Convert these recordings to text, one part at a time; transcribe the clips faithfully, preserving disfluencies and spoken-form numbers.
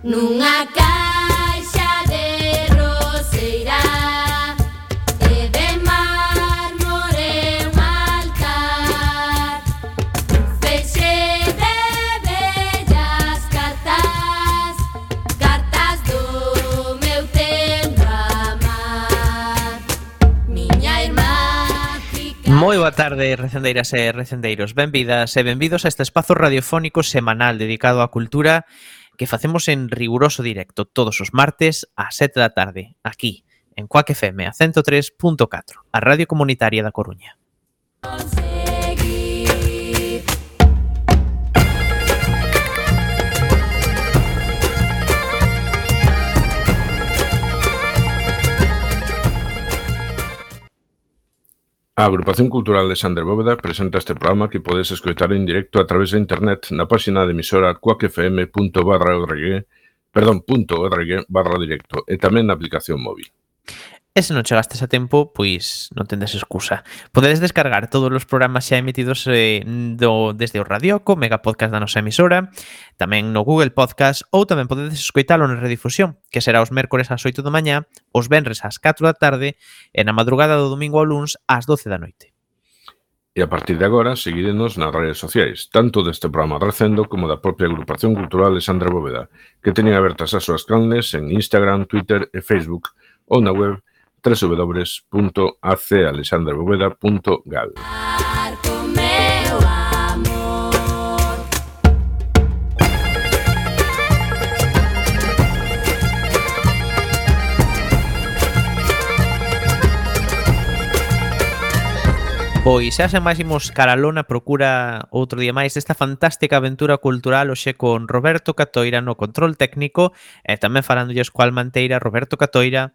Nunha caixa de roseira e de mármore un altar, feixe de bellas cartas, cartas do meu tempo amar. Miña irmá fica... Moi boa tarde, recendeiras e recendeiros. Benvidas e benvidos a este espazo radiofónico semanal dedicado á cultura que facemos en riguroso directo todos os martes ás sete da tarde, aquí, en Cuac F M a ciento tres punto catro, a Radio Comunitaria da Coruña. A Agrupación Cultural Alexandre Bóveda presenta este programa que podes escoitar en directo a través de internet na página de emisora cuacfm punto org, perdón, punto org barra directo e tamén na aplicación móvil. E se non chegastes a tempo, pois non tendes excusa. Podedes descargar todos os programas xa emitidos eh, do, desde o Radioco, Mega Podcast da nosa emisora, tamén no Google Podcast, ou tamén podedes escoitalo na redifusión, que será os mércores ás oito da mañá, os venres ás catro da tarde e na madrugada do domingo ao luns ás doce da noite. E a partir de agora, seguirenos nas redes sociais, tanto deste programa Recendo como da propia Agrupación Cultural Alexandre Bóveda, que teñen abertas as súas canles en Instagram, Twitter e Facebook, ou na web doble u doble u doble u punto a c alexandre bóveda punto gal. Pois xa sen máis imos caralona procura outro día máis desta fantástica aventura cultural hoxe con Roberto Catoira no control técnico e tamén falándolles coa Almanteira Roberto Catoira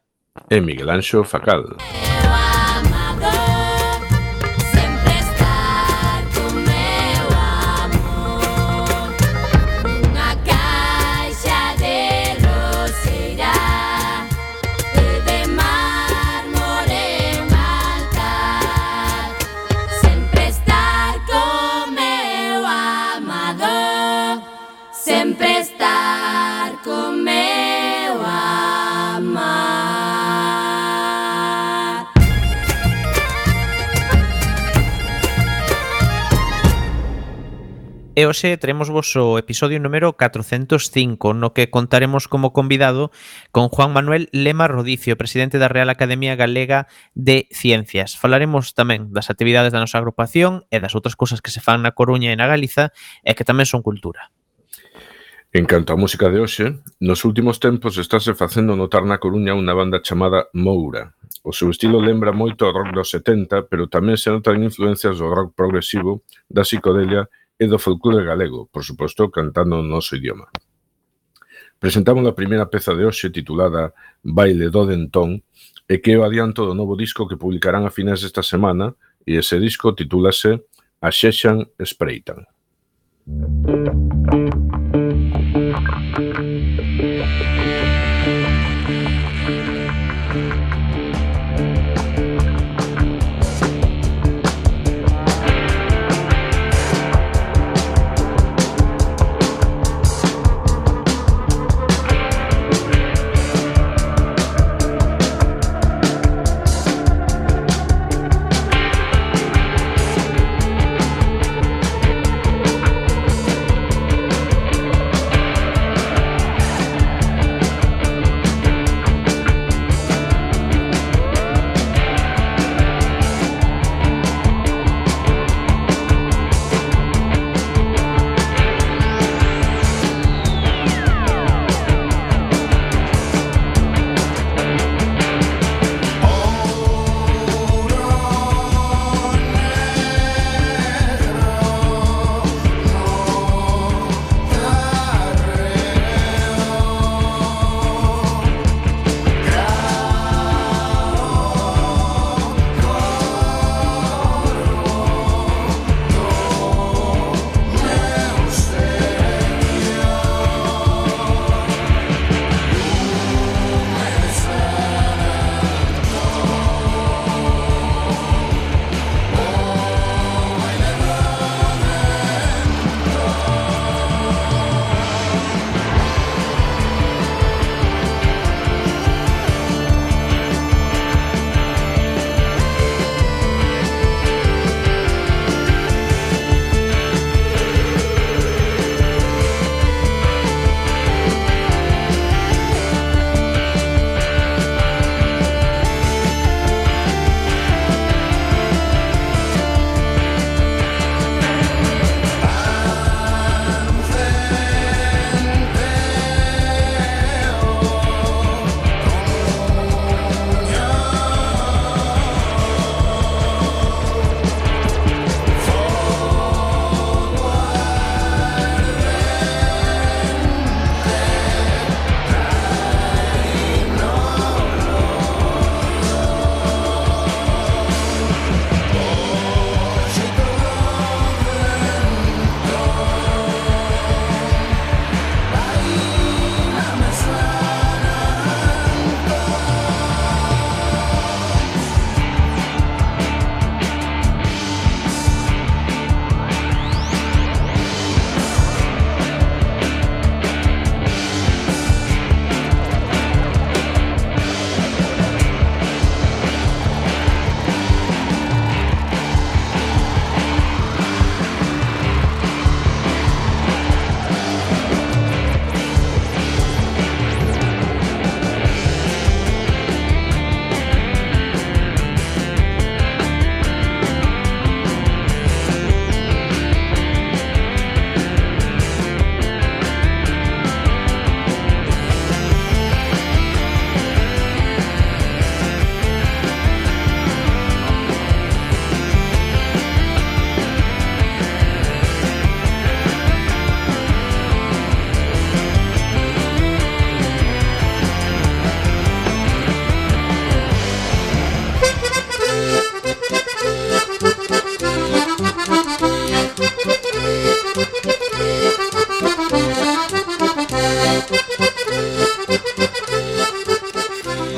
E Miguel Anxo Facal. Sempre estar con meu amar. E hoxe teremos vos o episodio número catrocentos cinco, no que contaremos como convidado con Juan Manuel Lema Rodicio, presidente da Real Academia Galega de Ciencias. Falaremos tamén das actividades da nosa agrupación e das outras cousas que se fan na Coruña e na Galiza e que tamén son cultura. En canto á música de hoxe, nos últimos tempos estáse facendo notar na Coruña unha banda chamada Moura. O seu estilo lembra moito ao rock dos setenta, pero tamén se notan influencias do rock progresivo, da psicodelia e do folclore galego, por suposto, cantando no noso idioma. Presentamos a primeira peza de hoxe titulada Baile do Dentón e que é o adianto do novo disco que publicarán a finais desta semana e ese disco titúlase Axexan Espreitan.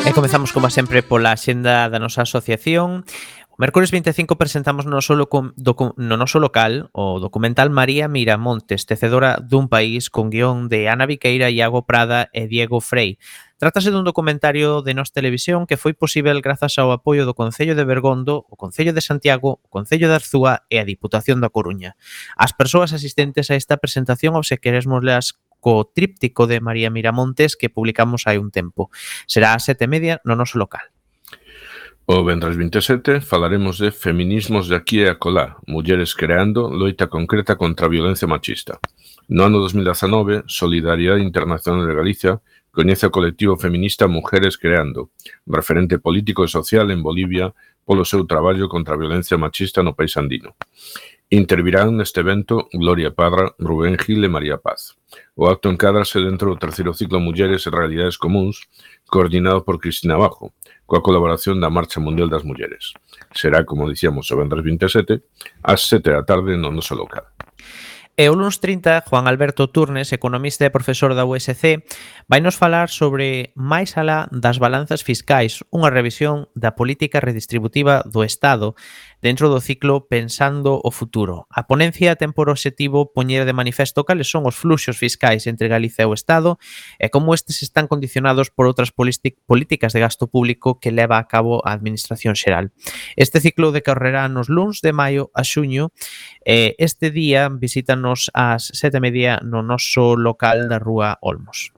E comezamos, como sempre, pola axenda da nosa asociación. O mércores vinte e cinco presentamos no noso, loco, docu, no noso local o documental María Miramontes, tecedora dun país, con guión de Ana Viqueira, Iago Prada e Diego Frei. Trátase dun documentario de Nós Televisión que foi posível grazas ao apoio do Concello de Bergondo, o Concello de Santiago, o Concello de Arzúa e a Diputación da Coruña. As persoas asistentes a esta presentación obsequiarémoslas co tríptico de María Miramontes que publicamos hai un tempo. Será a sete e media no noso local. O vendres vinte e sete falaremos de feminismos de aquí e acolá, mulleres creando loita concreta contra a violencia machista. No ano dos mil dezanove, Solidariedade Internacional de Galicia coñece o colectivo feminista Mujeres Creando, referente político e social en Bolivia polo seu traballo contra a violencia machista no país andino. Intervirán neste evento Gloria Parra, Rubén Gil e María Paz. O acto encádrase dentro do terceiro ciclo Mulleres e Realidades Comúns, coordinado por Cristina Bajo, coa colaboración da Marcha Mundial das Mulleres. Será, como dicíamos, o vendres vinte e sete, ás sete da tarde no noso local. E o luns trinta, Juan Alberto Turnes, economista e profesor da U S C, vai nos falar sobre máis alá das balanzas fiscais, unha revisión da política redistributiva do Estado dentro do ciclo Pensando o Futuro. A ponencia ten por obxectivo poñer de manifesto cales son os fluxos fiscais entre Galicia e o Estado e como estes están condicionados por outras políticas de gasto público que leva a cabo a Administración Xeral. Este ciclo decorrerá nos luns de maio a xuño e este día visítanos ás sete e media no noso local da Rúa Olmos.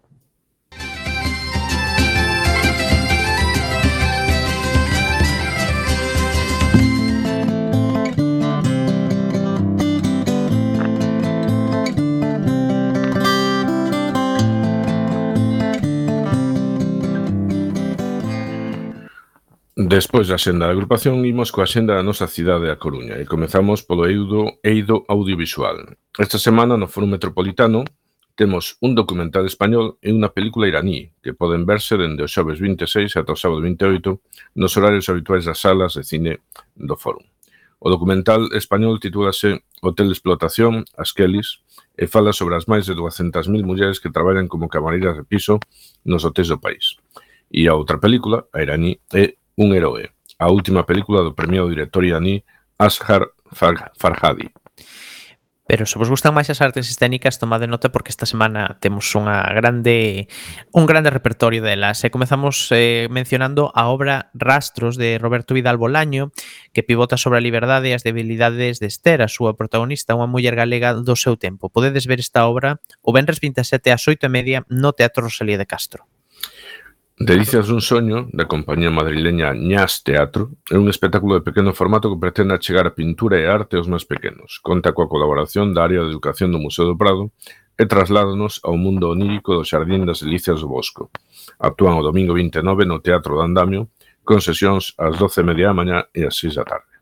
Despois da xenda da agrupación, imos coa xenda da nosa cidade a Coruña e comezamos polo eido, eido audiovisual. Esta semana no Foro Metropolitano temos un documental español e unha película iraní que poden verse dende o xoves vinte e seis ata o sábado vinte e oito nos horarios habituais das salas de cine do Foro. O documental español titúlase Hotel de Explotación, as Kellys, e fala sobre as máis de duascentas mil mulleres que traballan como camareiras de piso nos hotéis do país. E a outra película, a iraní, é Un heroe, a última película do premiado director iraní Asghar Farhadi. Pero se vos gustan máis as artes escénicas, tomade nota porque esta semana temos unha grande un grande repertorio delas. E comezamos eh, mencionando a obra Rastros de Roberto Vidal Bolaño, que pivota sobre a liberdade e as debilidades de Esther, a súa protagonista, unha muller galega do seu tempo. Podedes ver esta obra o venres vinte e sete ás oito e media no Teatro Rosalía de Castro. Delicias dun soño, da compañía madrileña Ñas Teatro, é un espectáculo de pequeno formato que pretende achegar a pintura e a arte aos máis pequenos. Conta coa colaboración da área de educación do Museo do Prado e trasládanos ao mundo onírico do Xardín das Delicias do Bosco. Actúan o domingo vinte e nove no Teatro do Andamio, con sesións ás doce e media da mañá e ás seis da tarde.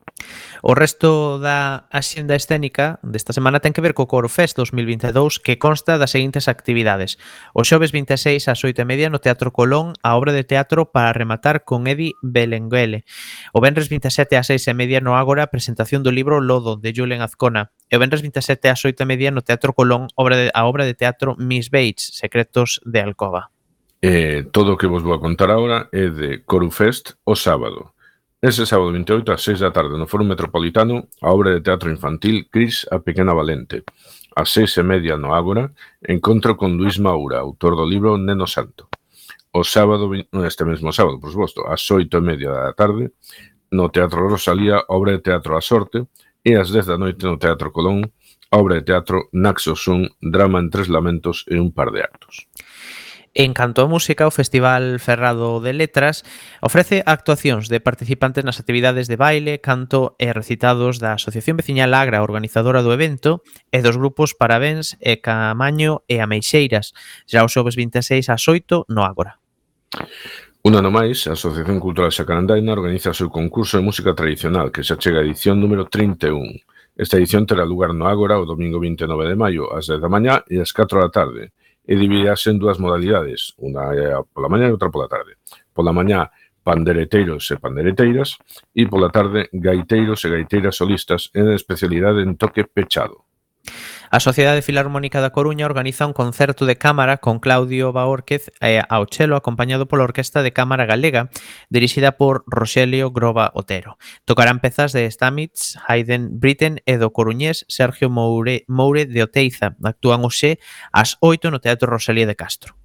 O resto da axenda escénica desta semana ten que ver co Coro Fest dos mil vinte e dous, que consta das seguintes actividades. O xoves vinte e seis ás oito e media no Teatro Colón, a obra de teatro Para rematar con Edi Belenguele. O venres vinte e sete ás seis e media no Ágora, presentación do libro Lodo, de Julen Azcona. E o venres vinte e sete ás oito e media no Teatro Colón, obra de, a obra de teatro Miss Bates, Secretos de Alcoba. Eh, todo o que vos vou a contar agora é de Coro Fest o sábado. Ese sábado vinte e oito ás seis da tarde no Foro Metropolitano, a obra de teatro infantil Cris a Pequena Valente. Ás seis e media no Ágora, encontro con Luís Maura, autor do libro Neno Santo. O sábado, este mesmo sábado, por suposto, ás oito e media da tarde, no Teatro Rosalía, obra de teatro A Sorte, e ás dez da noite no Teatro Colón, a obra de teatro Naxo Sun, drama en tres lamentos e un par de actos. En canto a música, o Festival Ferrado de Letras ofrece actuacións de participantes nas actividades de baile, canto e recitados da Asociación Veciñal Agra, organizadora do evento, e dos grupos Parabéns e Camaño e Ameixeiras, xa o xoves vinte e seis ás oito no Ágora. Un ano máis, a Asociación Cultural Xacarandaina organiza o seu concurso de música tradicional, que xa chega a edición número trinta e un. Esta edición terá lugar no Ágora o domingo vinte e nove de maio, ás dez da mañá e ás catro da tarde, e dividirase en dúas modalidades, unha pola mañá e outra pola tarde. Pola mañá, pandereteiros e pandereteiras, e pola tarde, gaiteiros e gaiteiras solistas en especialidade en toque pechado. A Sociedade Filarmónica da Coruña organiza un concerto de cámara con Claudio Baórquez eh, ao chelo acompañado pola Orquesta de Cámara Galega dirixida por Roxelio Groba Otero. Tocarán pezas de Stamitz, Haydn, Britten e do coruñés Sergio Moure, Moure de Oteiza. Actúan hoxe ás oito no Teatro Rosalía de Castro.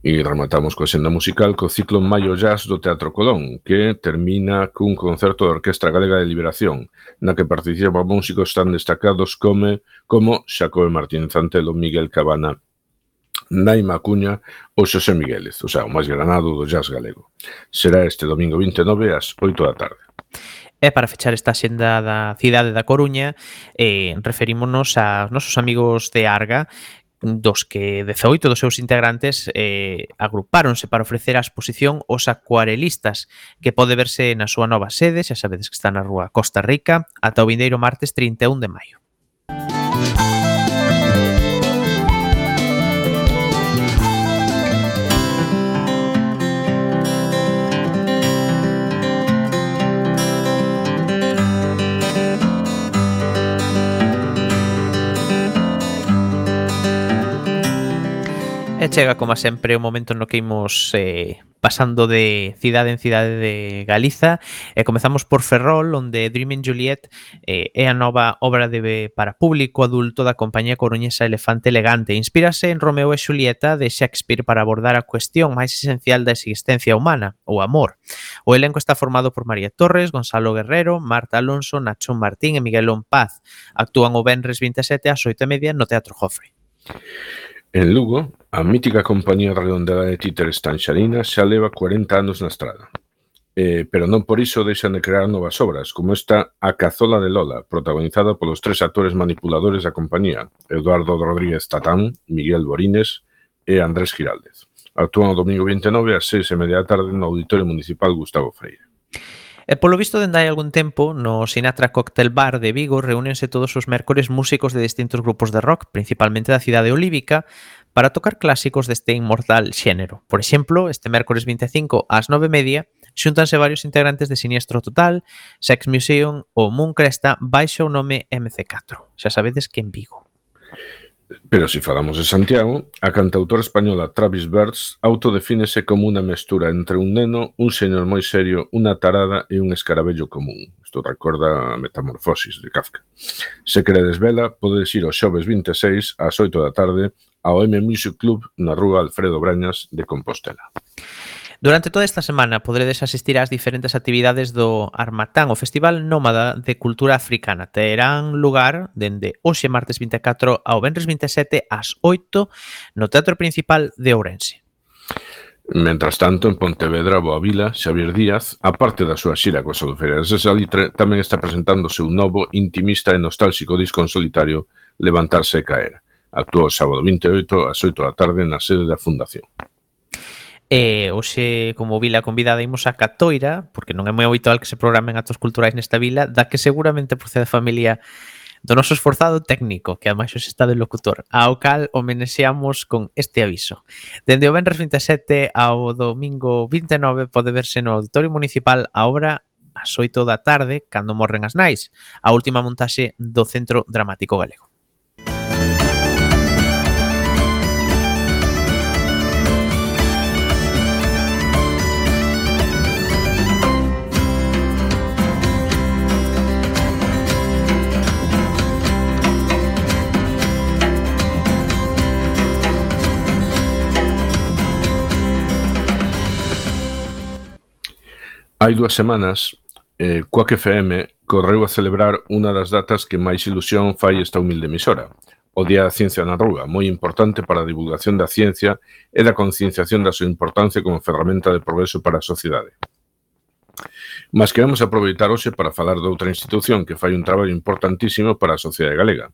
E rematamos coa senda musical co ciclo Maio Jazz do Teatro Colón, que termina cun concerto da Orquestra Galega de Liberación, na que participan músicos tan destacados como, como Xacobe Martínez Antelo, Miguel Cabana, Naima Acuña ou Xosé Miguélez, o sea, o máis granado do jazz galego. Será este domingo vinte e nove ás oito da tarde. E para fechar esta xenda da cidade da Coruña, eh, referímonos aos nosos amigos de Arga, dos que dezaoito dos seus integrantes eh, agrupáronse para ofrecer a exposición Os Acuarelistas, que pode verse na súa nova sede, xa sabedes que está na rúa Costa Rica, ata o vindeiro martes trinta e un de maio. E chega, como sempre, o momento no que imos eh, pasando de cidade en cidade de Galiza e comezamos por Ferrol, onde Dreaming Juliet eh, é a nova obra de para público adulto da compañía coruñesa Elefante Elegante. Inspírase en Romeo e Xulieta de Shakespeare para abordar a cuestión máis esencial da existencia humana, o amor. O elenco está formado por María Torres, Gonzalo Guerrero, Marta Alonso, Nacho Martín e Miguel Paz. Actúan o venres vinte e sete ás oito e media no Teatro Jofre. En Lugo, a mítica compañía redondeada de títeres Tanxarina xa leva cuarenta anos na estrada. Eh, pero non por iso deixan de crear novas obras, como esta A Cazola de Lola, protagonizada polos tres actores manipuladores da compañía, Eduardo Rodríguez Tatán, Miguel Borines e Andrés Giraldez. Actúan o domingo vinte e nove ás seis e media da tarde no Auditorio Municipal Gustavo Freire. E polo visto, dende hai algún tempo, no Sinatra Cocktail Bar de Vigo reúnense todos os mércores músicos de distintos grupos de rock, principalmente da cidade olívica, para tocar clásicos deste inmortal xénero. Por exemplo, este mércores vinte e cinco ás nove e media, xúntanse varios integrantes de Siniestro Total, Sex Museum ou Moon Cresta baixo o nome eme ce catro. Xa sabedes que en Vigo. Pero se falamos de Santiago, a cantautora española Travis Bertz autodefínese como unha mestura entre un neno, un señor moi serio, unha tarada e un escarabello común. Isto recorda a Metamorfosis de Kafka. Se queredes vela, podedes ir o xoves vinte e seis ás oito da tarde ao M Music Club na rúa Alfredo Brañas de Compostela. Durante toda esta semana podredes asistir ás diferentes actividades do Armatán, o Festival Nómada de Cultura Africana. Terán lugar dende hoxe martes vinte e catro ao venres vinte e sete ás oito no Teatro Principal de Ourense. Mentras tanto, en Pontevedra, Boavila, Xavier Díaz, a parte da súa xira coas Albufeiras de Salitre, tamén está presentando o seu novo, intimista e nostálxico disco en solitario, Levantarse e Caer. Actúa o sábado vinte e oito ás oito da tarde na sede da Fundación. E hoxe, como vila convidada, imos a Catoira, porque non é moi habitual que se programen actos culturais nesta vila, da que seguramente procede a familia do noso esforzado técnico, que ademais hoxe está de locutor, ao cal homenexeamos con este aviso. Dende o venres vinte e sete ao domingo vinte e nove pode verse no Auditorio Municipal a obra ás oito da tarde, cando morren as nais, a última montaxe do Centro Dramático Galego. Hai dúas semanas, eh, Quack F M correu a celebrar unha das datas que máis ilusión fai esta humilde emisora, o Día da Ciencia na Rúa, moi importante para a divulgación da ciencia e da concienciación da súa importancia como ferramenta de progreso para a sociedade. Mas queremos aproveitar hoxe para falar de outra institución que fai un traballo importantísimo para a sociedade galega.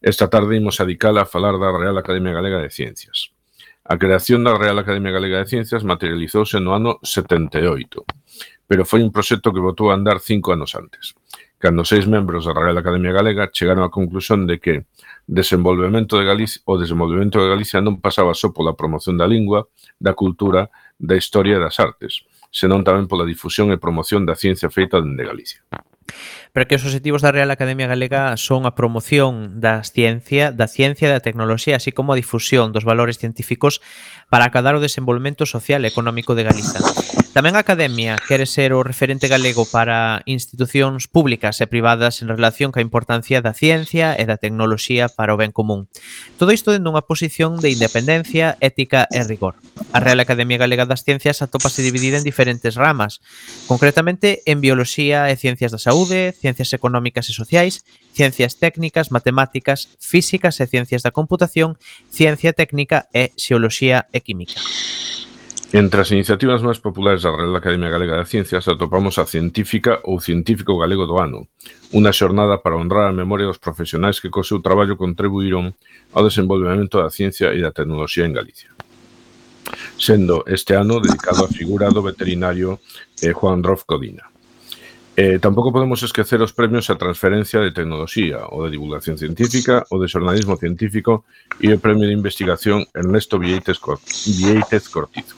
Esta tarde imos adicala a falar da Real Academia Galega de Ciencias. A creación da Real Academia Galega de Ciencias materializouse no ano setenta e oito, pero foi un proxecto que botou a andar cinco anos antes, cando seis membros da Real Academia Galega chegaron á conclusión de que desenvolvemento de Galicia, o desenvolvemento de Galicia non pasaba só pola promoción da lingua, da cultura, da historia e das artes, senón tamén pola difusión e promoción da ciencia feita dende Galicia. Pero que os obxectivos da Real Academia Galega son a promoción da ciencia, da ciencia e da tecnoloxía, así como a difusión dos valores científicos para acadar o desenvolvemento social e económico de Galiza. Tamén a Academia quere ser o referente galego para institucións públicas e privadas en relación ca importancia da ciencia e da tecnoloxía para o ben común. Todo isto dende unha posición de independencia, ética e rigor. A Real Academia Galega das Ciencias atópase dividida en diferentes ramas, concretamente en Bioloxía e Ciencias da Saúde, Ciencias Económicas e Sociais, Ciencias Técnicas, Matemáticas, Físicas e Ciencias da Computación, Ciencia Técnica e Xeoloxía e Química. Entre as iniciativas máis populares da Real Academia Galega de Ciencias atopamos a Científica ou Científico Galego do Ano, unha xornada para honrar a memoria dos profesionais que co seu traballo contribuíron ao desenvolvemento da ciencia e da tecnoloxía en Galicia. Sendo este ano dedicado á figura do veterinario eh, Juan Rof Codina. Eh, tampouco podemos esquecer os premios a transferencia de tecnoloxía, o de divulgación científica, o de xornalismo científico e o premio de investigación Ernesto Viéitez Cortizo.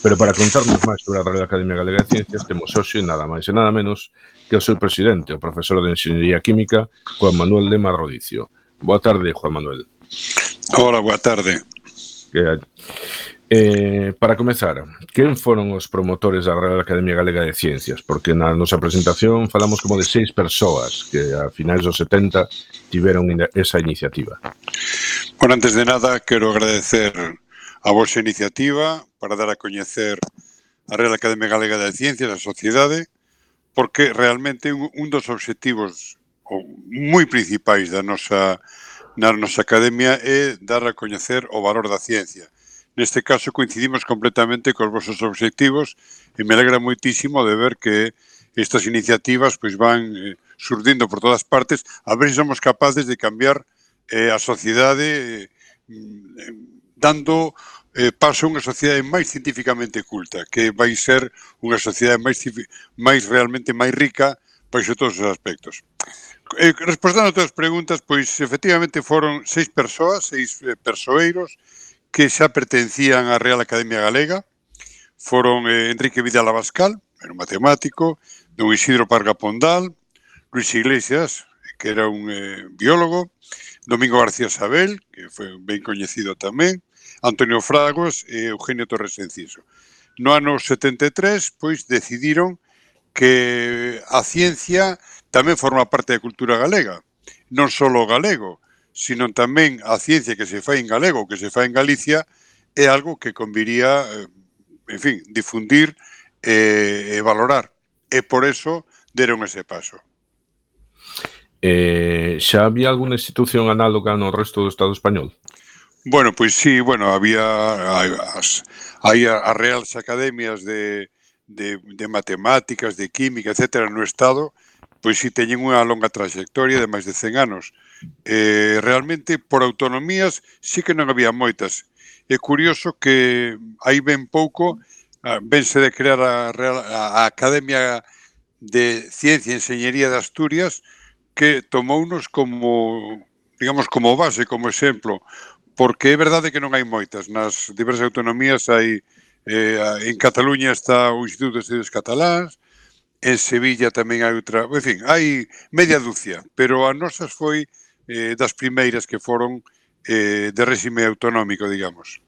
Pero para contarnos máis sobre a Real Academia Galega de Ciencias temos hoxe nada máis e nada menos que o seu presidente, o profesor de Enxeñería Química, Juan Manuel Lema Rodicio. Boa tarde, Juan Manuel. Hola, boa tarde. Que, eh, para comezar, quen foron os promotores da Real Academia Galega de Ciencias? Porque na nosa presentación falamos como de seis persoas que a finais dos setenta tiveron esa iniciativa. Bueno, antes de nada, quero agradecer a vosa iniciativa para dar a coñecer a Real Academia Galega de Ciencias, a sociedade, porque realmente un, un dos obxectivos moi principais da nosa, na nosa academia é dar a coñecer o valor da ciencia. Neste caso coincidimos completamente cos vosos obxectivos e me alegra moitísimo de ver que estas iniciativas pois van eh, surdindo por todas partes, a ver se somos capaces de cambiar eh, a sociedade eh, dando eh, paso a unha sociedade máis científicamente culta, que vai ser unha sociedade máis, máis realmente máis rica baixo todos os aspectos. Eh, respondendo a todas as preguntas, pois efectivamente foron seis persoas, seis eh, persoeiros que xa pertencían á Real Academia Galega. Foron eh, Enrique Vidal Abascal, era un matemático, don Isidro Parga Pondal, Luis Iglesias, que era un eh, biólogo, Domingo García Sabel, que foi ben coñecido tamén, Antonio Fragos e Eugenio Torres Enciso. No ano setenta e tres, pois, decidiron que a ciencia tamén forma parte da cultura galega. Non só o galego, sino tamén a ciencia que se fai en galego, que se fai en Galicia, é algo que conviría, en fin, difundir e, e valorar. E por eso deron ese paso. Eh, xa había alguna institución análoga no resto do Estado español? Bueno, pois sí, bueno, había as, hai as reales academias de, de, de matemáticas, de química, etcétera, no Estado, pois sí teñen unha longa trayectoria de máis de cen anos. Eh, realmente, por autonomías, sí que non había moitas. É curioso que hai ben pouco, vense de crear a, Real, a Academia de Ciencia e Enxeñería de Asturias, que tomounos como, digamos, como base, como exemplo, porque é verdade que non hai moitas. Nas diversas autonomías hai, eh, en Cataluña está o Instituto de Estudios Cataláns, en Sevilla tamén hai outra, en fin, hai media dúcia, pero a nosas foi eh, das primeiras que foron eh, de réxime autonómico, digamos.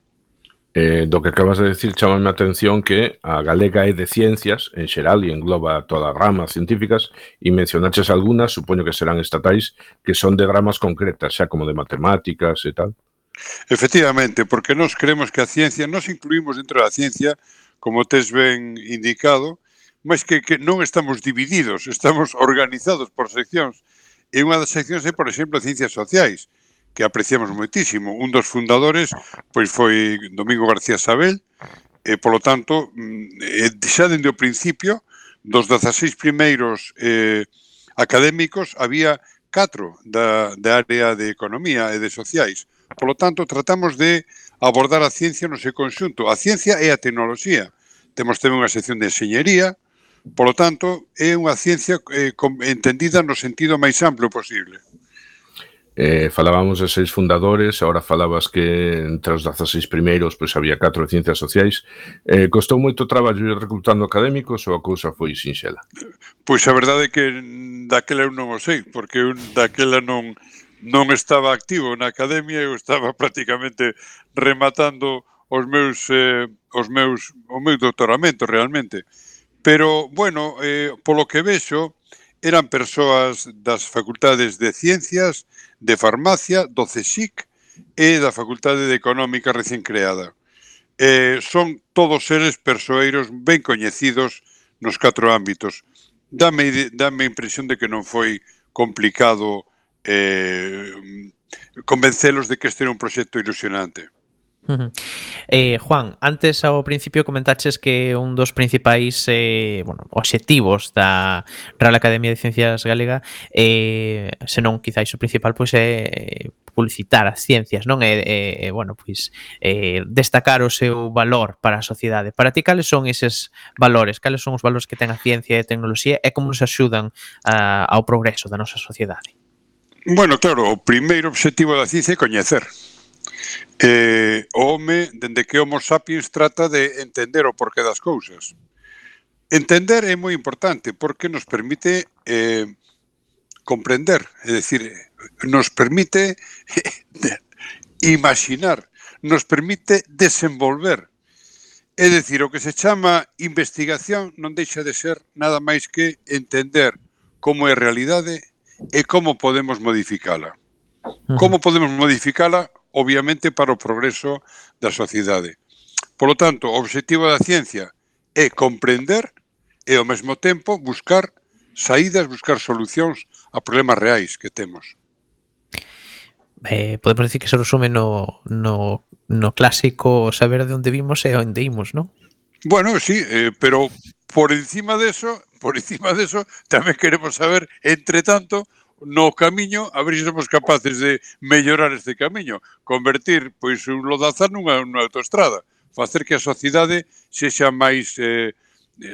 Eh, do que acabas de decir, chamame a atención que a galega é de ciencias, en xeral, e engloba todas as ramas científicas, e mencionaches algunhas, supoño que serán estatais, que son de ramas concretas, xa como de matemáticas e tal. Efectivamente, porque nós creemos que a ciencia, nós incluímos dentro da ciencia, como tes ben indicado, mas que, que non estamos divididos, estamos organizados por seccións. E unha das seccións é, por exemplo, ciencias sociais, que apreciamos moitísimo. Un dos fundadores pois foi Domingo García Sabel, e, polo tanto, xa dende o principio, dos dezaseis primeiros eh, académicos, había catro da, da área de economía e de sociais. Polo tanto, tratamos de abordar a ciencia no seu conxunto. A ciencia é a tecnoloxía. Temos tamén unha sección de enxeñería, polo tanto, é unha ciencia eh, entendida no sentido máis amplo posible. Eh, falábamos de seis fundadores, ahora falabas que entre os dezaseis primeiros pois había catro de ciencias sociais. Eh, costou moito traballo ir reclutando académicos ou a cousa foi sinxela? Pois a verdade é que daquela eu non o sei, porque eu daquela non non estaba activo na academia, eu estaba prácticamente rematando os meus eh, os meus o meu doutoramento realmente. Pero, bueno, eh, polo que vexo, eran persoas das facultades de Ciencias, de Farmacia, do CSIC e da Facultade de Económica recén creada. Eh, son todos eles persoeiros ben coñecidos nos catro ámbitos. Dame, dame a impresión de que non foi complicado eh, convencelos de que este era un proxecto ilusionante. Uh-huh. Eh, Juan, antes ao principio comentaches que un dos principais eh, bueno, obxectivos da Real Academia de Ciencias Galega, eh, senón quizáis o principal, pois é publicitar as ciencias, non? E, e bueno, pois eh, destacar o seu valor para a sociedade. Para ti, cales son eses valores? Cales son os valores que ten a ciencia e a tecnoloxía e como nos axudan a, ao progreso da nosa sociedade? Bueno, claro, o primeiro obxectivo da ciencia é coñecer. Eh, o home, dende que Homo sapiens trata de entender o porqué das cousas. Entender é moi importante porque nos permite eh, comprender, é dicir, nos permite imaginar, nos permite desenvolver. É dicir, o que se chama investigación non deixa de ser nada máis que entender como é a realidade e como podemos modificala. Como podemos modificala? Obviamente para o progreso da sociedade. Polo tanto, o obxectivo da ciencia é comprender e ao mesmo tempo buscar saídas, buscar solucións a problemas reais que temos. Eh, podemos decir que se resume no, no, no clásico saber de onde vimos e onde imos, non? Bueno, sí, eh, pero por encima de eso, por encima de eso, tamén queremos saber, entre tanto, no camiño, a ver se somos capaces de mellorar este camiño, convertir pois un lodazar nunha, nunha autoestrada, facer que a sociedade sexa máis eh,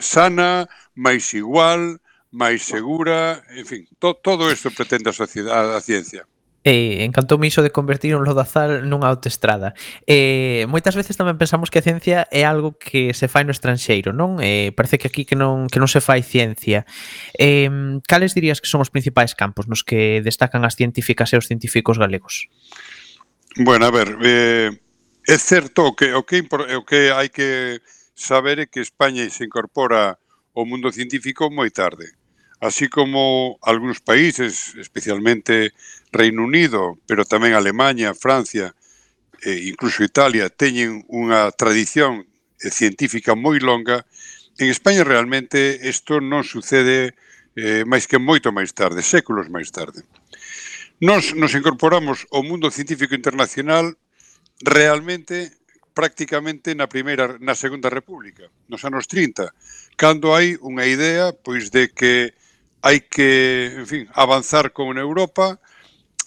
sana, máis igual, máis segura, en fin, to, todo isto pretende a sociedade, a ciencia. Eh, encantoume iso de convertir un lodazal nunha autoestrada. Eh, moitas veces tamén pensamos que a ciencia é algo que se fai no estranxeiro, non? Eh, parece que aquí que non, que non se fai ciencia. Eh, cales dirías que son os principais campos nos que destacan as científicas e os científicos galegos? Bueno, a ver, eh, é certo o que, o, que, o que hai que saber é que España se incorpora ao mundo científico moi tarde. Así como algúns países, especialmente Reino Unido, pero tamén Alemania, Francia e incluso Italia, teñen unha tradición científica moi longa, en España realmente isto non sucede eh, máis que moito máis tarde, séculos máis tarde. Nos nos incorporamos ao mundo científico internacional realmente prácticamente na primeira, na Segunda República, nos anos trinta, cando hai unha idea pois de que hai que, en fin, avanzar con Europa,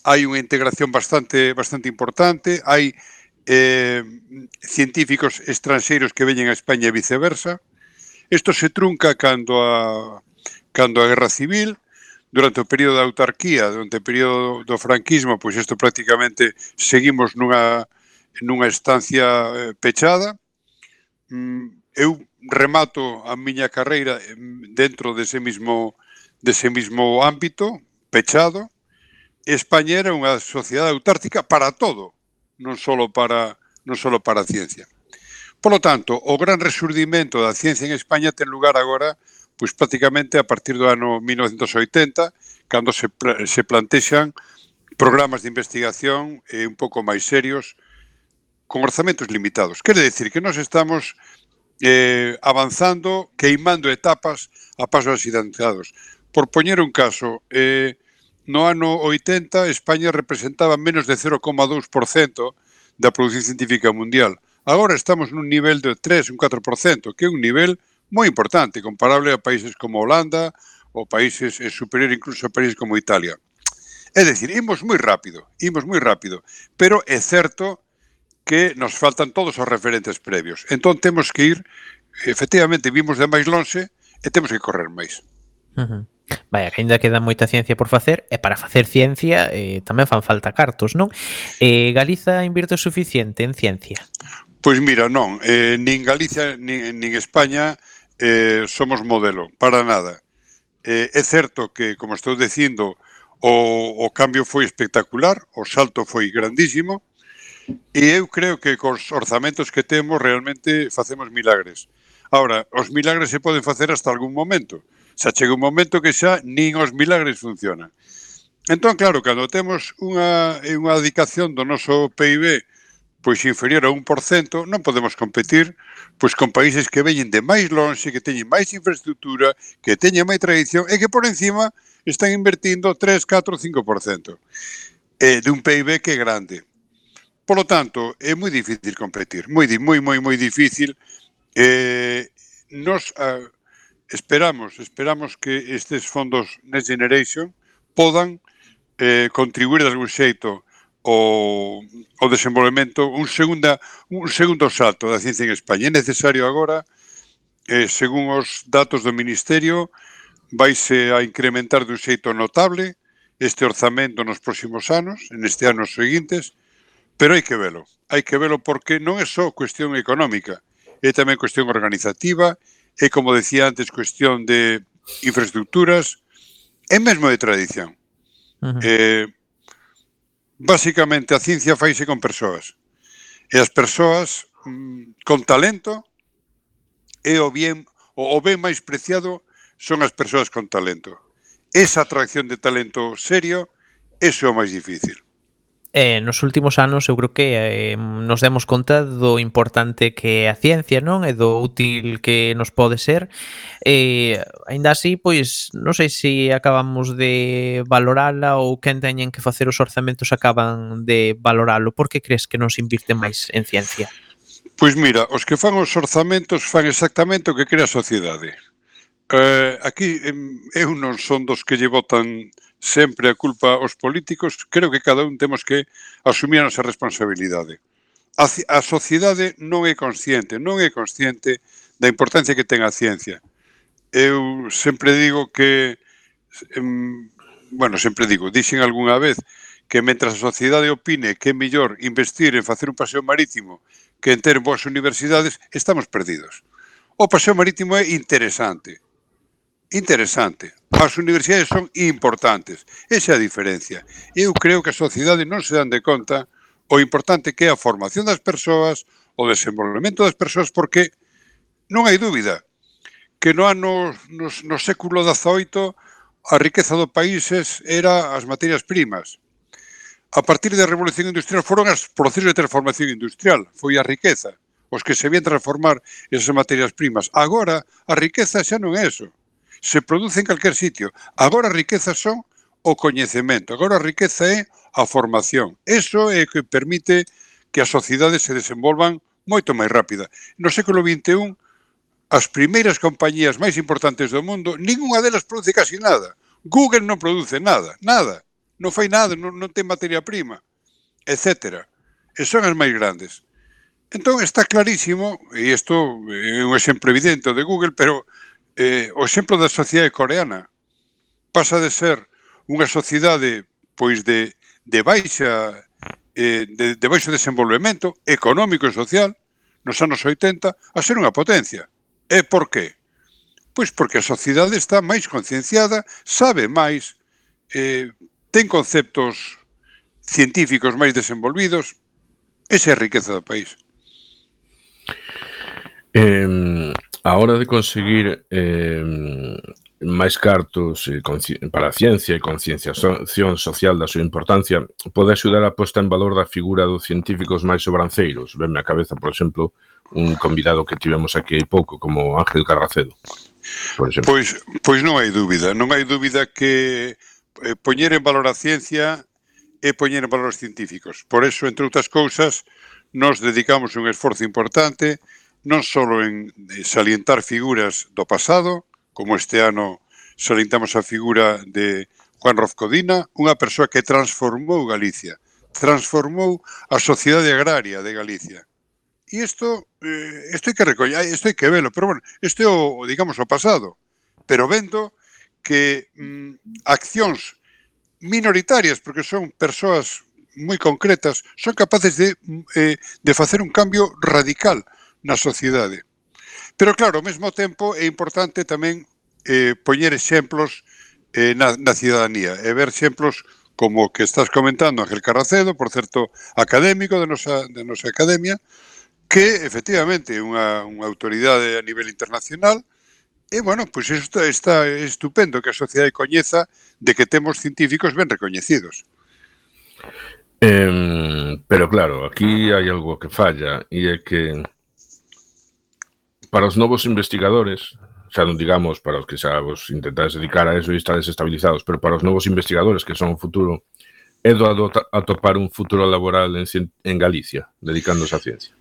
hai unha integración bastante bastante importante, hai eh, científicos estranxeiros que veñen a España e viceversa. Isto se trunca cando a cando a Guerra Civil, durante o período da autarquía, durante o período do franquismo, pois isto prácticamente seguimos nunha nunha estancia eh, pechada. Mm, eu remato a miña carreira dentro dese mismo dese mismo ámbito, pechado. España era unha sociedade autártica para todo, non só para, non só para a ciencia. Por lo tanto, o gran resurdimento da ciencia en España ten lugar agora, pois prácticamente a partir do ano mil novecentos oitenta, cando se, se plantexan programas de investigación eh, un pouco máis serios, con orzamentos limitados. Quere decir que nós estamos eh, avanzando, queimando etapas a pasos axidantados. Por poñer un caso, eh, no ano oitenta España representaba menos de cero coma dous por cento da produción científica mundial. Agora estamos nun nivel de tres, un catro por cento, que é un nivel moi importante, comparable a países como Holanda ou países eh, superior incluso a países como Italia. É dicir, imos moi rápido, imos moi rápido, pero é certo que nos faltan todos os referentes previos. Entón temos que ir, efectivamente, vimos de máis lonxe e temos que correr máis. Uh-huh. Vaya, que ainda queda moita ciencia por facer, e para facer ciencia eh, tamén fan falta cartos, non? Eh, Galiza invirte o suficiente en ciencia? Pois mira, non, eh, nin Galicia nin, nin España eh, somos modelo, para nada. Eh, é certo que, como estou dicindo, o, o cambio foi espectacular, o salto foi grandísimo, e eu creo que cos orzamentos que temos realmente facemos milagres. Ahora, os milagres se poden facer hasta algún momento. Xa chega un momento que xa nin os milagres funcionan. Entón, claro, cando temos unha, unha dedicación do noso P I B pois inferior a un por cento, non podemos competir pois con países que veñen de máis lonxe, que teñen máis infraestructura, que teñen máis tradición e que por encima están invertindo tres, catro, cinco por cento eh, de un P I B que é grande. Por lo tanto, é moi difícil competir, moi, moi, moi, moi difícil. Eh, nos uh, esperamos, esperamos que estes fondos Next Generation podan eh, contribuir de algún xeito o, o desenvolvemento, un, segunda, un segundo salto da ciencia en España. É necesario agora, eh, según os datos do Ministerio, vaise a incrementar de un xeito notable este orzamento nos próximos anos, en este ano seguintes, pero hai que velo. Hai que velo porque non é só cuestión económica, é tamén cuestión organizativa, é, como decía antes, cuestión de infraestructuras, é mesmo de tradición. Uh-huh. Eh, Básicamente, a ciencia faise con persoas. E as persoas mmm, con talento é o bien, o, o ben máis preciado son as persoas con talento. Esa atracción de talento serio, eso é o máis difícil. Eh, nos últimos anos eu creo que eh, nos demos conta do importante que é a ciencia, non? E do útil que nos pode ser. Eh, ainda así, pois, non sei se acabamos de valorala ou quen teñen que facer os orzamentos acaban de valoralo. Por que crees que non se invirte máis en ciencia? Pois mira, os que fan os orzamentos fan exactamente o que crea a sociedade. Eh, aquí eu non son dos que lle botan sempre a culpa aos políticos, creo que cada un temos que asumir a nosa responsabilidade. A, a sociedade non é consciente, non é consciente da importancia que ten a ciencia. Eu sempre digo que, em, bueno, sempre digo, dixen algunha vez que mentras a sociedade opine que é mellor investir en facer un paseo marítimo que en ter boas universidades, estamos perdidos. O paseo marítimo é interesante, interesante. As universidades son importantes. Esa é a diferencia. Eu creo que a sociedade non se dan de conta o importante que é a formación das persoas, o desenvolvemento das persoas, porque non hai dúbida que no ano, no, no século dezaoito, a riqueza do países era as materias primas. A partir da Revolución Industrial foron os procesos de transformación industrial. Foi a riqueza os que se vían transformar esas materias primas. Agora, a riqueza xa non é eso. Se produce en calquer sitio. Agora a riqueza son o coñecemento. Agora a riqueza é a formación. Eso é o que permite que as sociedades se desenvolvan moito máis rápida. No século vinte e un, as primeiras compañías máis importantes do mundo, ninguna delas produce casi nada. Google non produce nada, nada. Non fai nada, non, non ten materia prima, etcétera. E son as máis grandes. Entón está clarísimo, e isto é un exemplo evidente de Google, pero Eh, o exemplo da sociedade coreana pasa de ser unha sociedade pois de, de baixa eh, de, de baixo desenvolvemento económico e social nos anos oitenta a ser unha potencia. E por qué? Pois porque a sociedade está máis concienciada, sabe máis, eh, ten conceptos científicos máis desenvolvidos. Esa é a riqueza do país. Eh, a hora de conseguir eh, máis cartos eh, para a ciencia e concienciación social da súa importancia, pode axudar a posta en valor da figura dos científicos máis sobranceiros. Venme a cabeza, por exemplo, un convidado que tivemos aquí hai pouco, como Ángel Carracedo. Por exemplo. Pois, pois non hai dúbida, non hai dúbida que eh, poñer en valor a ciencia é poñer en valor os científicos. Por eso, entre outras cousas, nos dedicamos un esforzo importante non só en salientar figuras do pasado, como este ano salientamos a figura de Juan Rozcodina, unha persoa que transformou Galicia, transformou a sociedade agraria de Galicia. E isto, eh, isto hai que recoller, isto hai que velo, pero bueno, isto é o, digamos, o pasado, pero vendo que mm, accións minoritarias, porque son persoas moi concretas, son capaces de, eh, de facer un cambio radical na sociedade. Pero claro, ao mesmo tempo é importante tamén eh, poñer exemplos eh, na, na cidadanía e ver exemplos como o que estás comentando, Ángel Carracedo, por certo, académico de nosa, de nosa academia, que efectivamente é unha, unha autoridade a nivel internacional e, bueno, pois pues isto está estupendo que a sociedade coñeza de que temos científicos ben recoñecidos. Eh, pero claro, aquí hai algo que falla e é que para os novos investigadores, xa non digamos para os que xa vos intentades dedicar a eso e estades estabilizados, pero para os novos investigadores que son o futuro, é doado atopar un futuro laboral en, en Galicia, dedicándose á ciencia?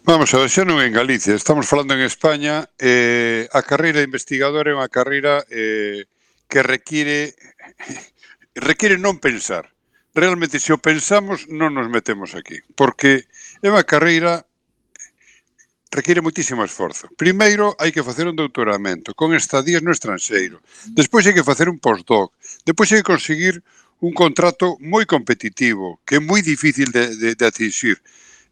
Vamos a ver, xa non en Galicia, estamos falando en España, eh, a carreira de investigador é unha carreira eh, que require require non pensar. Realmente, se o pensamos, non nos metemos aquí, porque é unha carreira require moitísimo esforzo. Primeiro, hai que facer un doutoramento con estadías no estranxeiro. Despois hai que facer un postdoc. Despois hai que conseguir un contrato moi competitivo, que é moi difícil de, de, de atingir.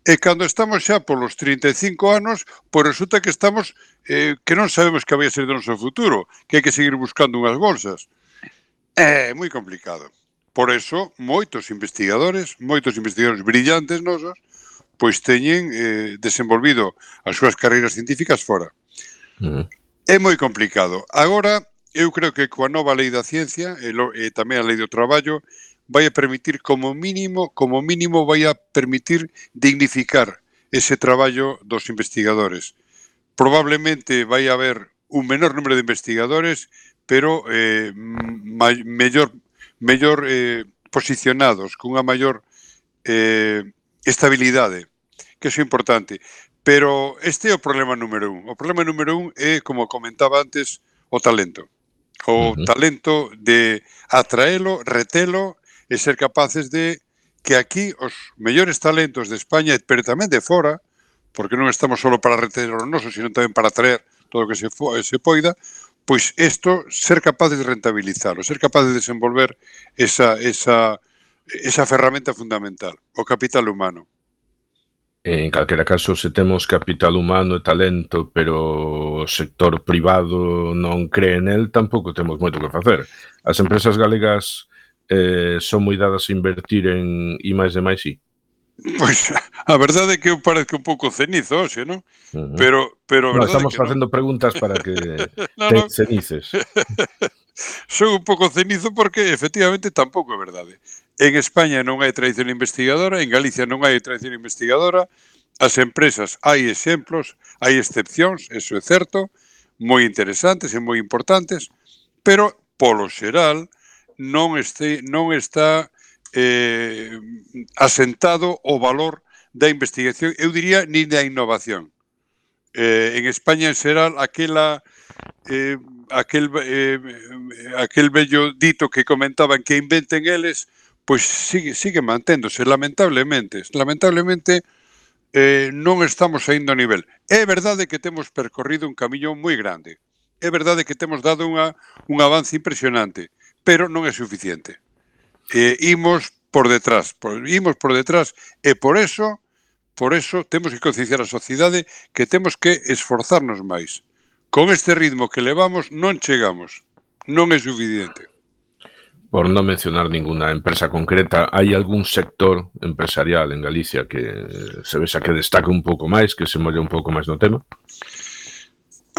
E cando estamos xa polos trinta e cinco anos, pois resulta que estamos, eh, que non sabemos que vai a ser do noso futuro, que hai que seguir buscando unhas bolsas. É moi complicado. Por eso, moitos investigadores, moitos investigadores brillantes nosos, pois teñen eh, desenvolvido as súas carreiras científicas fora. Uh-huh. É moi complicado. Agora, eu creo que coa nova lei da ciencia e, lo, e tamén a lei do traballo vai a permitir como mínimo, como mínimo vai a permitir dignificar ese traballo dos investigadores. Probablemente vai a haber un menor número de investigadores, pero eh, ma, mellor, mellor eh, posicionados, con unha maior eh, estabilidade, que iso é importante. Pero este é o problema número un. O problema número un é, como comentaba antes, o talento. O uh-huh. talento de atraelo, retelo e ser capaces de que aquí os mellores talentos de España, pero tamén de fora, porque non estamos só para reter os nosos, sino tamén para atraer todo o que se, fo, se poida, pois isto, ser capaces de rentabilizarlo, ser capaces de desenvolver esa, esa, esa ferramenta fundamental, o capital humano. En calquera caso, se temos capital humano e talento, pero o sector privado non cree nel, tampouco temos moito que facer. As empresas galegas eh, son moi dadas a invertir en I máis de máis I. Pois a verdade é que eu parezco un pouco cenizo hoxe, non? Uh-huh. Pero, pero no, estamos facendo non. preguntas para que no, te no. cenices. Son un pouco cenizo porque efectivamente tampouco é verdade. En España non hai tradición investigadora, en Galicia non hai tradición investigadora, as empresas hai exemplos, hai excepcións, eso é certo, moi interesantes e moi importantes, pero polo xeral non, este, non está eh, asentado o valor da investigación, eu diría, nin da innovación. Eh, en España en xeral aquela... Eh, aquel eh, aquel bello dito que comentaban que inventen eles, pois sigue, sigue manténdose, lamentablemente. Lamentablemente eh, non estamos saindo a nivel. É verdade que temos percorrido un camiño moi grande. É verdade que temos dado unha, un avance impresionante, pero non é suficiente. Eh, imos por detrás, por, imos por detrás, e por eso, por eso temos que concienciar a sociedade que temos que esforzarnos máis. Con este ritmo que levamos non chegamos, non é suficiente. Por non mencionar ninguna empresa concreta, hai algún sector empresarial en Galicia que se vexa que destaque un pouco máis, que se molle un pouco máis no tema?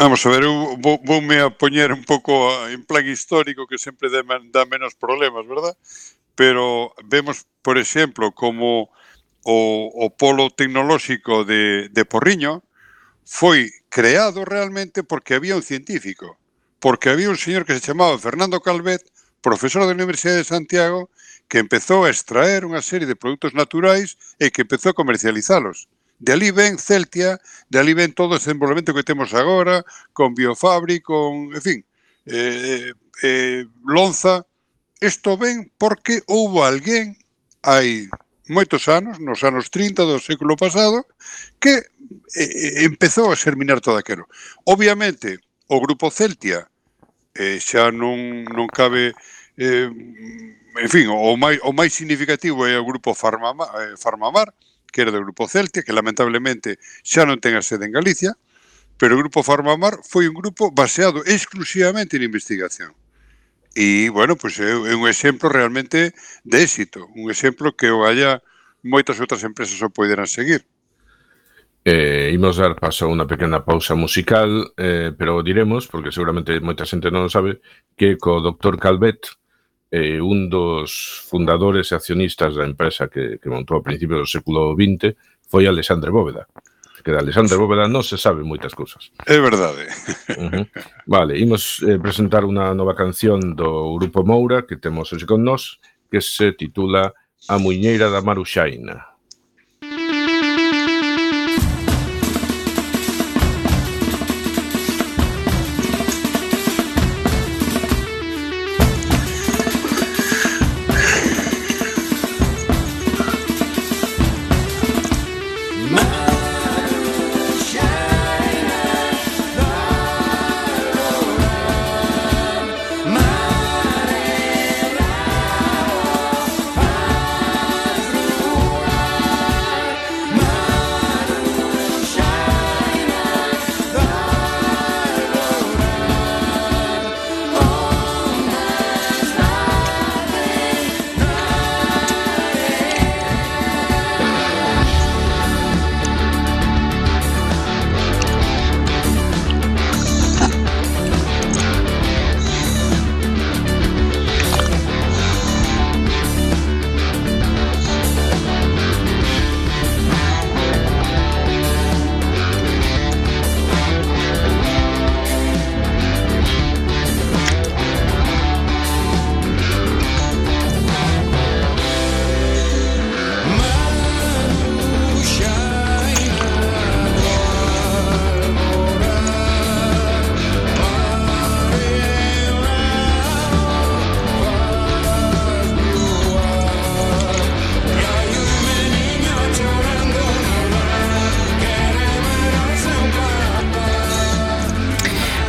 Vamos a ver, eu vou, voume a poñer un pouco en plan histórico que sempre dá menos problemas, verdad? Pero vemos, por exemplo, como o, o polo tecnolóxico de, de Porriño foi creado realmente porque había un científico, porque había un señor que se chamaba Fernando Calvet, profesor da Universidade de Santiago, que empezou a extraer unha serie de produtos naturais e que empezou a comercializalos. De ali ven Celtia, de ali ven todo o desenvolvemento que temos agora, con Biofabri, con, en fin, eh, eh, Lonza. Isto ven porque houbo alguén, hai moitos anos, nos anos trinta do século pasado, que eh, empezou a xerminar todo aquilo. Obviamente, o grupo Celtia eh, xa non, non cabe, eh, en fin, o máis, o máis significativo é o grupo Farmamar, eh, Farmamar, que era do grupo Celtia, que lamentablemente xa non ten a sede en Galicia, pero o grupo Farmamar foi un grupo baseado exclusivamente en investigación. E, bueno, pois é, é un exemplo realmente de éxito, un exemplo que o haya moitas outras empresas o poderán seguir. Eh, imos dar paso a unha pequena pausa musical, eh, pero diremos, porque seguramente moita xente non o sabe, que co doctor Calvet, eh, un dos fundadores e accionistas da empresa que, que montou a principios do século vinte, foi Alexandre Bóveda. Que de Alexandre Bóveda non se sabe moitas cousas. É verdade. Uh-huh. Vale, imos eh, presentar unha nova canción do grupo Moura, que temos hoxe con nós, que se titula A Muiñeira da Maruxaina.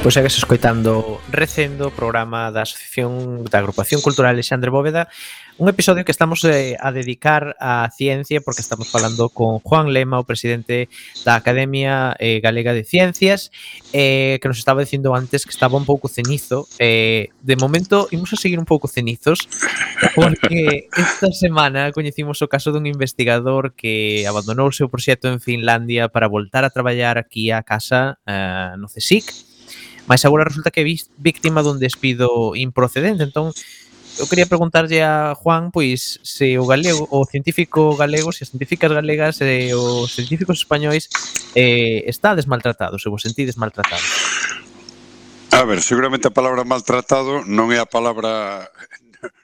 Pois segues escoitando Recendo, programa da Asociación da Agrupación Cultural Alexandre Bóveda, un episodio que estamos eh, a dedicar á ciencia porque estamos falando con Juan Lema, o presidente da Academia eh, Galega de Ciencias, eh, que nos estaba dicindo antes que estaba un pouco cenizo. Eh, de momento, imos a seguir un pouco cenizos porque esta semana coñecimos o caso dun investigador que abandonou o seu proxecto en Finlandia para voltar a traballar aquí a casa eh, no CSIC. Mas agora resulta que é víctima dun despido improcedente. Entón, eu quería preguntarlle a Juan, pois, se o galego, o científico galego, se as científicas galegas e os científicos españois eh, estades maltratados, se vos sentides maltratados. A ver, seguramente a palabra maltratado non é a palabra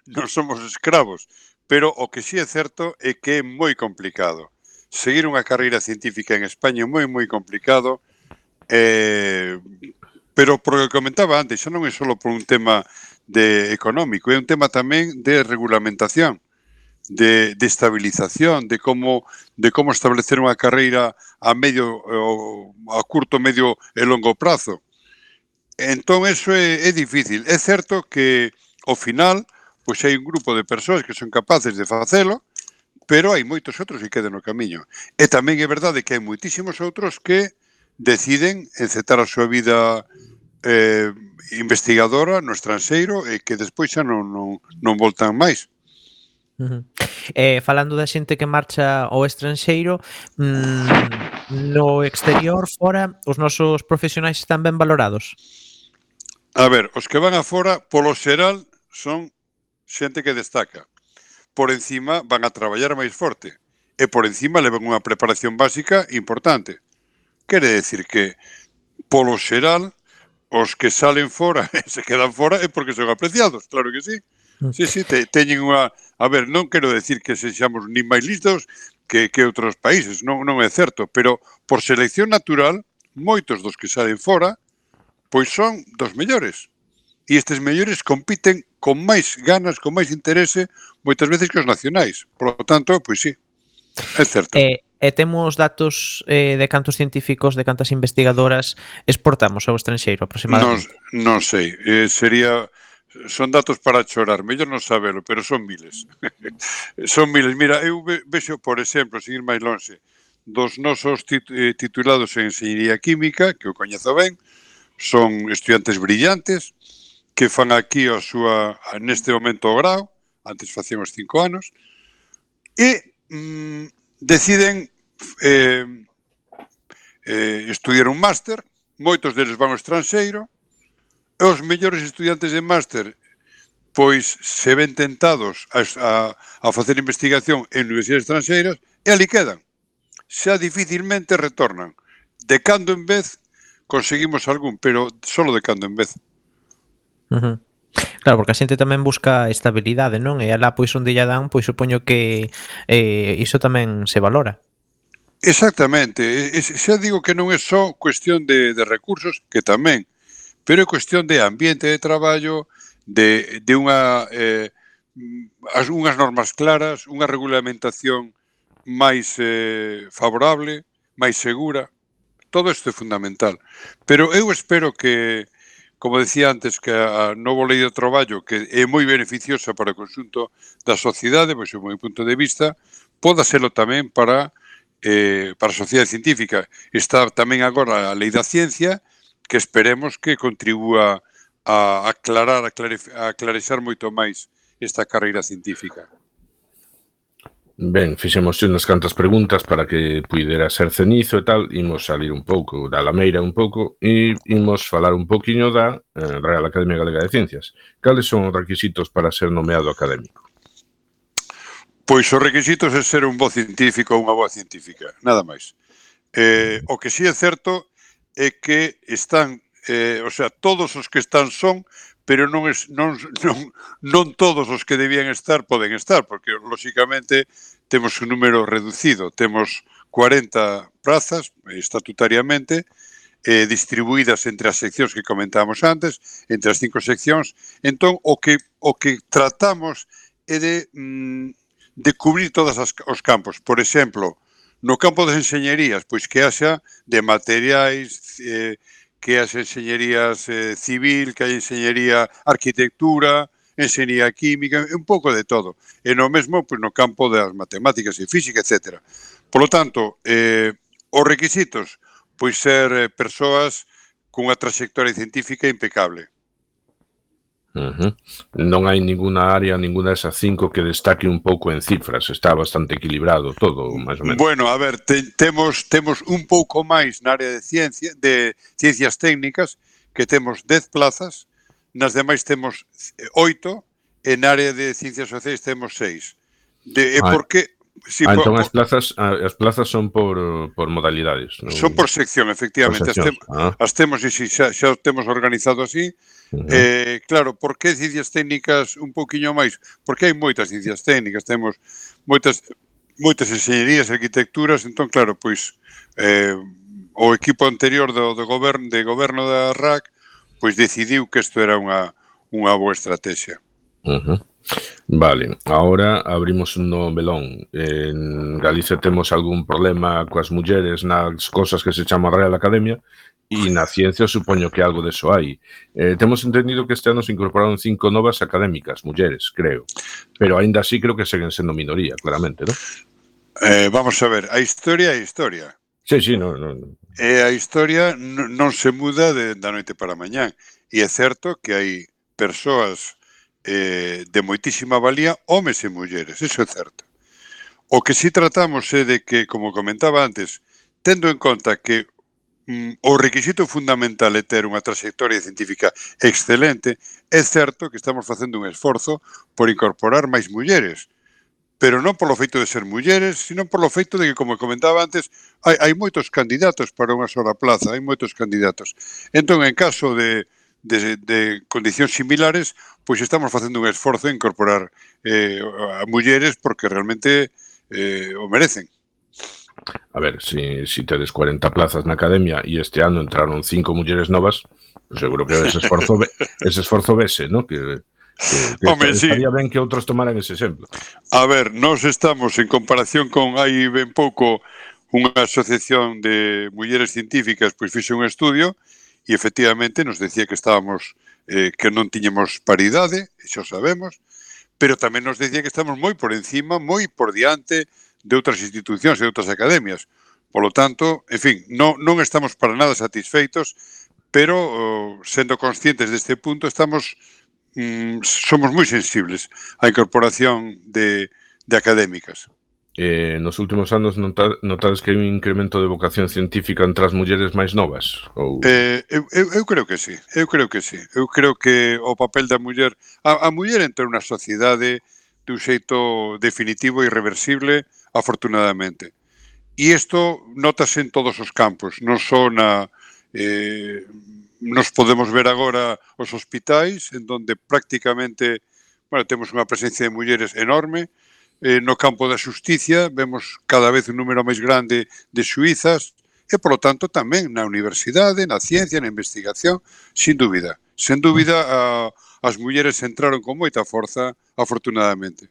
non somos escravos, pero o que sí é certo é que é moi complicado. Seguir unha carreira científica en España é moi, moi complicado, eh, pero por o que comentaba antes, xa non é só por un tema de económico, é un tema tamén de regulamentación, de, de estabilización, de como de como establecer unha carreira a medio, a curto, medio e longo prazo. Entón, eso é, é difícil. É certo que, ao final, pois hai un grupo de persoas que son capaces de facelo, pero hai moitos outros que quedan no camiño. E tamén é verdade que hai moitísimos outros que deciden encetar a súa vida eh, investigadora no estranxeiro e que despois xa non, non, non voltan máis. Uh-huh. Eh, falando da xente que marcha ao estranxeiro, mmm, no exterior, fora, os nosos profesionais están ben valorados? A ver, os que van afora, polo xeral, son xente que destaca. Por encima van a traballar máis forte e por encima levan unha preparación básica importante. Quere decir que, polo xeral, os que salen fora e se quedan fora é porque son apreciados, claro que sí. Sí, sí, te, teñen unha... A ver, non quero decir que sexamos nin máis listos que, que outros países, non, non é certo, pero por selección natural, moitos dos que salen fora, pois son dos mellores. E estes mellores compiten con máis ganas, con máis interese, moitas veces que os nacionais. Por lo tanto, pois sí, é certo. Eh, e temos datos eh, de cantos científicos, de cantas investigadoras exportamos ao estranxeiro aproximadamente? Non, non sei, eh, sería... Son datos para chorar, mellor non sabelo, pero son miles. Son miles. Mira, eu ve, vexo, por exemplo, seguir máis lonxe, dos nosos tit eh, titulados en Enxeñería Química, que o coñezo ben, son estudiantes brillantes, que fan aquí a súa, neste momento o grau, antes facían os cinco anos, e mm, deciden eh, eh, estudiar un máster, moitos deles van ao estranxeiro, e os mellores estudiantes de máster pois se ven tentados a, a, a facer investigación en universidades estranxeiras e ali quedan. Xa dificilmente retornan. De cando en vez conseguimos algún, pero solo de cando en vez. Uh-huh. Claro, porque a xente tamén busca estabilidade, non? E alá pois onde lla dan, pois supoño que eh, iso tamén se valora. Exactamente. Xa digo que non é só cuestión de, de recursos, que tamén, pero é cuestión de ambiente de traballo, de, de unha eh, as, unhas normas claras, unha regulamentación máis eh, favorable, máis segura. Todo isto é fundamental. Pero eu espero que, como decía antes, que a novo lei do traballo, que é moi beneficiosa para o conxunto da sociedade, pois do meu punto de vista, poda serlo tamén para, eh, para a sociedade científica. Está tamén agora a lei da ciencia, que esperemos que contribúa a aclarar, a, a clarexar moito máis esta carreira científica. Ben, fixemos unhas cantas preguntas para que puidera ser cenizo e tal, imos salir un pouco da lameira un pouco e imos falar un poquinho da eh, Real Academia Galega de Ciencias. Cales son os requisitos para ser nomeado académico? Pois os requisitos é ser un bo científico ou unha boa científica, nada máis. Eh, o que si é certo é que están, eh, o sea, todos os que están son, pero non, es, non, non, non todos os que debían estar poden estar, porque, lóxicamente, temos un número reducido. Temos cuarenta prazas, estatutariamente, eh, distribuídas entre as seccións que comentábamos antes, entre as cinco seccións. Entón, o que, o que tratamos é de, mm, de cubrir todos os campos. Por exemplo, no campo das enxeñerías, pois que haxa de materiais, eh, que haxa enxeñerías eh, civil, que hai enxeñería arquitectura, enxeñería química, un pouco de todo. E no mesmo, pois no campo das matemáticas e física, etcétera. Por lo tanto, eh, os requisitos, pois ser eh, persoas cunha trayectoria científica impecable. Uh-huh. Non hai ninguna área, ninguna desas cinco que destaque un pouco en cifras. Está bastante equilibrado todo, máis ou menos. Bueno, a ver, te, temos temos un pouco máis na área de ciencia, de ciencias técnicas, que temos dez plazas, nas demais temos oito, e na área de ciencias sociais temos seis. De, e ah, por que... Sí, ah, entón por, as plazas as plazas son por, por modalidades, non? Son por sección, efectivamente. Por as, te, ah. as temos, e si, xa, xa temos organizado así. Uh-huh. eh, claro, por que ciencias técnicas un pouquiño máis? Porque hai moitas ciencias técnicas, temos moitas moitas enxeñerías, arquitecturas, entón, claro, pois eh, o equipo anterior do, do goberno, de goberno da R A C pois decidiu que isto era unha, unha boa estrategia. Uh-huh. Vale, agora abrimos un novo melón. En Galicia temos algún problema coas mulleres nas cosas que se chama Real Academia e na ciencia supoño que algo deso hai. Eh, temos entendido que este ano se incorporaron cinco novas académicas, mulleres, creo. Pero aínda así creo que seguen sendo minoría, claramente, non? Eh, vamos a ver, a historia é a historia. Sí, sí, non... No, no. E a historia non, non se muda de, da noite para mañán. E é certo que hai persoas eh, de moitísima valía, homes e mulleres, iso é certo. O que si tratamos é de que, como comentaba antes, tendo en conta que mm, o requisito fundamental é ter unha trayectoria científica excelente, é certo que estamos facendo un esforzo por incorporar máis mulleres, pero non polo feito de ser mulleres, sino polo feito de que, como comentaba antes, hai, hai moitos candidatos para unha sola plaza, hai moitos candidatos. Entón, en caso de De, de condicións similares, pois estamos facendo un esforzo en incorporar eh, a mulleres porque realmente eh, o merecen. A ver, si, si tedes cuarenta plazas na academia e este ano entraron cinco mulleres novas, pues seguro que ese esforzo ese esforzo vese, ¿no? Que, que, que Home, estaría sí. ben que outros tomaran ese exemplo. A ver, nós estamos en comparación con hai ben pouco unha asociación de mulleres científicas pois fixe un estudio e efectivamente nos decía que estábamos eh, que non tiñemos paridade, xa sabemos, pero tamén nos decía que estamos moi por encima, moi por diante de outras institucións e outras academias. Por lo tanto, en fin, non, non estamos para nada satisfeitos, pero oh, sendo conscientes deste punto estamos mm, somos moi sensibles á incorporación de, de académicas. Eh, nos últimos anos nota, notades que hai un incremento de vocación científica entre as mulleres máis novas? Ou... Eh, eu, eu, eu creo que sí, eu creo que sí. Eu creo que o papel da muller... A, a muller entra na sociedade de un xeito definitivo e irreversible, afortunadamente. E isto notase en todos os campos, non só na... Eh, nos podemos ver agora os hospitais, en donde prácticamente, bueno, temos unha presencia de mulleres enorme. Eh, no campo da xusticia vemos cada vez un número máis grande de xuízas e, polo tanto, tamén na universidade, na ciencia, na investigación, sin dúbida. Sen dúbida, a, as mulleres entraron con moita forza, afortunadamente.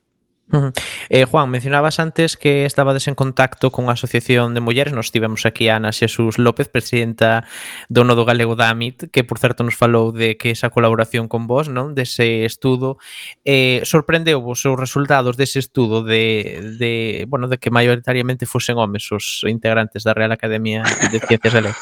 Uh -huh. eh, Juan, mencionabas antes que estabades en contacto con a Asociación de Mulleres. Nos tivemos aquí a Ana Xesús López, presidenta do Nodo Galego da A M I T, que por certo nos falou de que esa colaboración con vos, non, dese estudo, eh, sorprendeu vos os resultados dese estudo de, de, bueno, de que maioritariamente fosen homes os integrantes da Real Academia de Ciencias Galegas.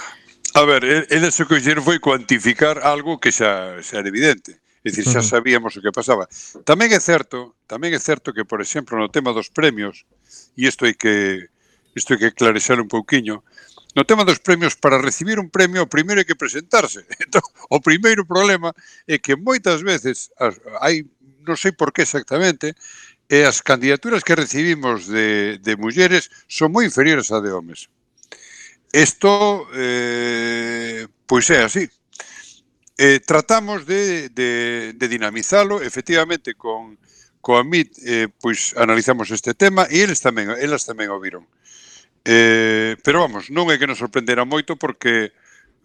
A ver, eles o que fixeron foi cuantificar algo que xa, xa era evidente. É dicir, xa sabíamos o que pasaba. Tamén é certo, tamén é certo que, por exemplo, no tema dos premios, e isto hai que isto hai que clarexar un pouquiño, no tema dos premios, para recibir un premio, o primeiro hai que presentarse. Entón, o primeiro problema é que moitas veces as, hai, non sei por que exactamente, e as candidaturas que recibimos de, de mulleres son moi inferiores a de homes. Isto, eh, pois é así. Eh, tratamos de, de, de dinamizalo, efectivamente, con, con a M I T, eh, pois analizamos este tema e eles tamén, elas tamén o viron. Eh, pero vamos, non é que nos sorprendera moito porque,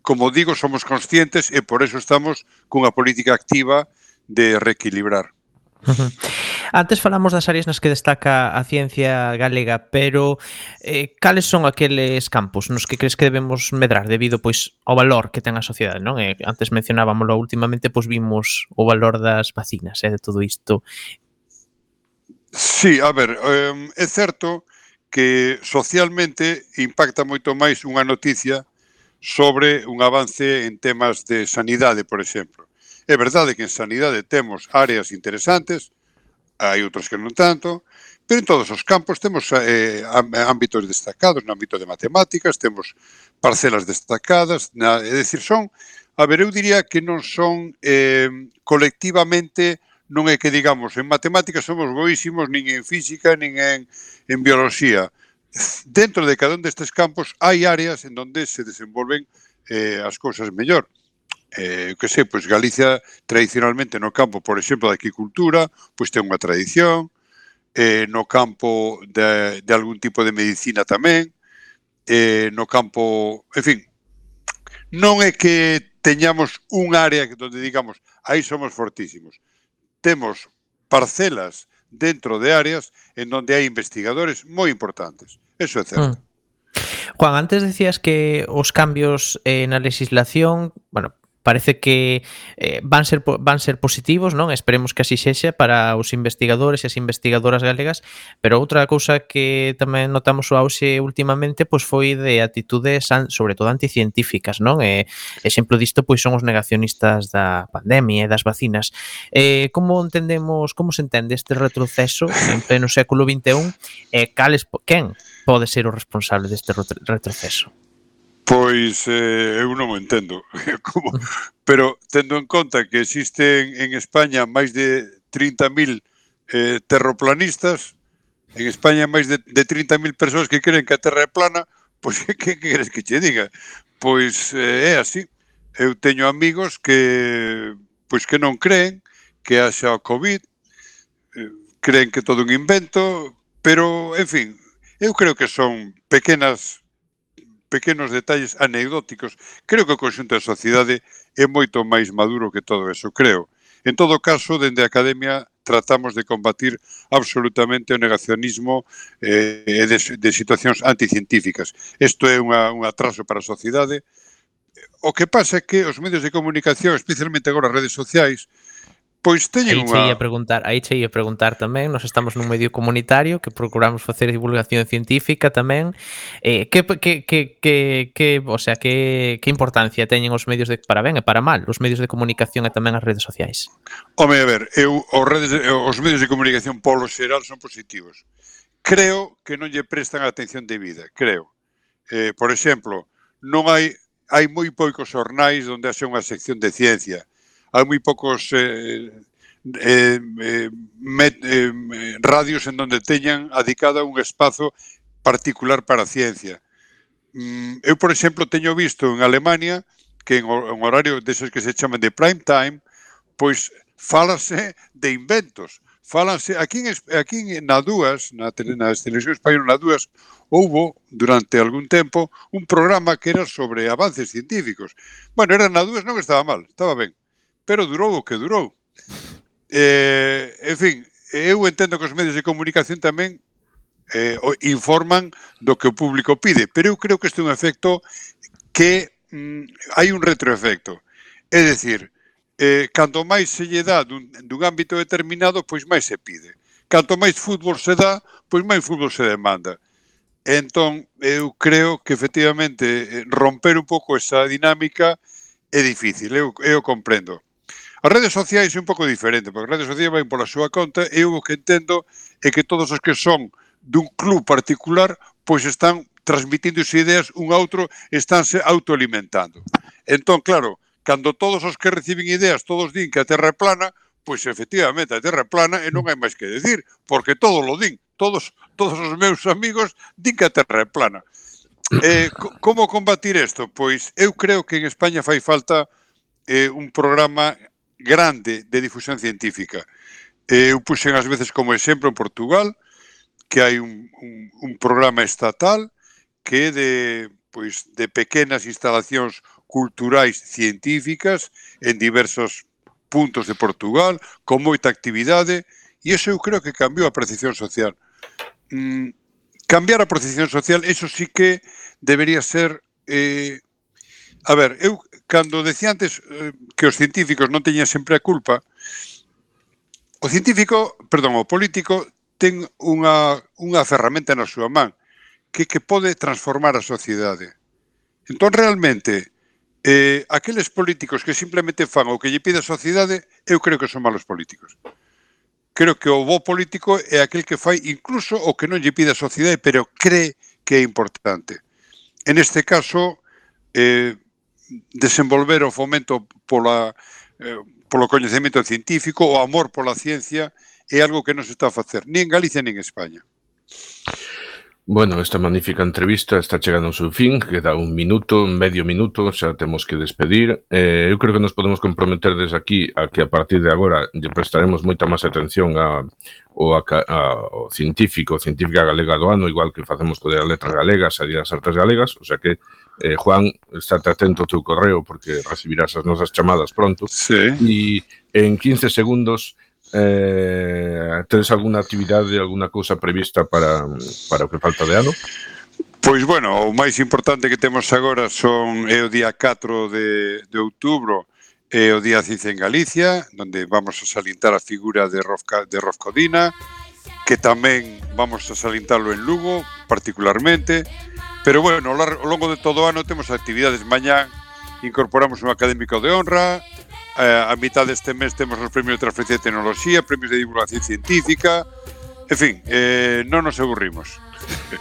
como digo, somos conscientes e por eso estamos cunha política activa de reequilibrar. Uh-huh. Antes falamos das áreas nas que destaca a ciencia galega, pero eh, cales son aqueles campos nos que crees que debemos medrar debido pois ao valor que ten a sociedade, non? Eh, antes mencionábamoslo, últimamente pois vimos o valor das vacinas e eh, de todo isto. Sí, a ver, eh, é certo que socialmente impacta moito máis unha noticia sobre un avance en temas de sanidade, por exemplo. É verdade que en sanidade temos áreas interesantes, hai outros que non tanto, pero en todos os campos temos eh, ámbitos destacados, no ámbito de matemáticas, temos parcelas destacadas, na, é dicir, son, a ver, eu diría que non son eh, colectivamente, non é que digamos, en matemáticas somos boísimos, nin en física, nin en, en biología. Dentro de cada un destes campos hai áreas en donde se desenvolven eh, as cousas mellor. Eh, que sei, pois Galicia tradicionalmente no campo, por exemplo, da agricultura, pois ten unha tradición, eh, no campo de, de algún tipo de medicina tamén, eh, no campo, en fin, non é que teñamos un área donde digamos, aí somos fortísimos. Temos parcelas dentro de áreas en donde hai investigadores moi importantes. Eso é certo. Mm. Juan, antes decías que os cambios eh, na legislación, bueno, parece que eh, van ser van ser positivos, non? Esperemos que así sexa para os investigadores e as investigadoras galegas, pero outra cousa que tamén notamos o auxe últimamente pois foi de atitudes sobre todo anticientíficas, non? E exemplo disto pois son os negacionistas da pandemia e das vacinas. Eh, como entendemos, como se entende este retroceso en pleno século vinte e un e cales quen pode ser o responsable deste retroceso? Pois eh, eu non o entendo, como, pero tendo en conta que existen en España máis de trinta mil eh, terroplanistas, en España máis de, de trinta mil persoas que creen que a Terra é plana, pois que, que queres que che diga? Pois eh, é así. Eu teño amigos que pois que non creen que haxa o COVID, eh, creen que todo un invento, pero, en fin, eu creo que son pequenas pequenos detalles anecdóticos. Creo que o conxunto da sociedade é moito máis maduro que todo eso, creo. En todo caso, dende a Academia tratamos de combatir absolutamente o negacionismo eh, de, de situacións anticientíficas. Isto é unha, un atraso para a sociedade. O que pasa é que os medios de comunicación, especialmente agora as redes sociais, pois teñen aí unha... Aí che ia preguntar, aí che ia preguntar tamén, nós estamos nun medio comunitario que procuramos facer divulgación científica tamén. Eh, que, que, que, que, que, o sea, que, que importancia teñen os medios de, para ben e para mal, os medios de comunicación e tamén as redes sociais? Home, a ver, eu, os, redes, os medios de comunicación polo xeral son positivos. Creo que non lle prestan a atención debida, creo. Eh, por exemplo, non hai, hai moi poucos xornais onde haxe unha sección de ciencia. Hai moi poucos eh, eh, eh, met, eh, radios en donde teñan adicada un espazo particular para a ciencia. Mm, eu, por exemplo, teño visto en Alemania que en, en horario deses que se chaman de prime time, pois fálase de inventos. Fálanse, aquí en, aquí na dúas, na, na televisión española na dúas, houbo, durante algún tempo, un programa que era sobre avances científicos. Bueno, era na dúas, non estaba mal, estaba ben. Pero durou o que durou. Eh, en fin, eu entendo que os medios de comunicación tamén eh, informan do que o público pide, pero eu creo que este é un efecto que mm, hai un retroefecto. É dicir, eh, canto máis se lle dá dun, dun ámbito determinado, pois máis se pide. Canto máis fútbol se dá, pois máis fútbol se demanda. Entón, eu creo que efectivamente romper un pouco esa dinámica é difícil, eu, eu comprendo. As redes sociais é un pouco diferente, porque as redes sociais van pola súa conta e eu o que entendo é que todos os que son dun club particular pois están transmitindo ideas un a outro, estánse autoalimentando. Entón, claro, cando todos os que reciben ideas todos din que a Terra é plana, pois efectivamente a Terra é plana e non hai máis que decir, porque todos lo din, todos, todos os meus amigos din que a Terra é plana. Eh, como combatir isto? Pois eu creo que en España fai falta eh, un programa grande de difusión científica. Eh, eu puxen ás veces como exemplo en Portugal que hai un, un, un programa estatal que é de, pois, de pequenas instalacións culturais científicas en diversos puntos de Portugal, con moita actividade, e iso eu creo que cambiou a percepción social. Mm, cambiar a percepción social, eso sí que debería ser... Eh, a ver, eu, cando decía antes eh, que os científicos non teñan sempre a culpa, o científico, perdón, o político ten unha, unha ferramenta na súa man que, que pode transformar a sociedade. Entón, realmente, eh, aqueles políticos que simplemente fan o que lle pide a sociedade, eu creo que son malos políticos. Creo que o bo político é aquel que fai incluso o que non lle pide a sociedade, pero cree que é importante. En este caso, eh, desenvolver o fomento pola, eh, polo coñecemento científico, o amor pola ciencia, é algo que non se está a facer, nin en Galicia nin en España. Bueno, esta magnífica entrevista está chegando ao seu fin, queda un minuto, medio minuto, xa temos que despedir. Eh, eu creo que nos podemos comprometer desde aquí a que a partir de agora lle prestaremos moita máis atención a, o, a, a, o científico, científica galega do ano, igual que facemos co de as letras galegas e as artes galegas, o sea que, eh, Juan, estate atento ao teu correo porque recibirás as nosas chamadas pronto. Sí. E en quince segundos... Eh, tedes alguna actividade, alguna cousa prevista para, para o que falta de ano? Pois, bueno, o máis importante que temos agora son é o día catro de, de outubro e o Día Ciencia en Galicia, onde vamos a salientar a figura de Rolf, de Rolf Codina, que tamén vamos a salientalo en Lugo, particularmente, pero, bueno, ao longo de todo o ano temos actividades. Mañá incorporamos un académico de honra. Uh, a mitad deste mes temos os premios de transferencia de tecnoloxía, premios de divulgación científica, en fin, eh, non nos aburrimos.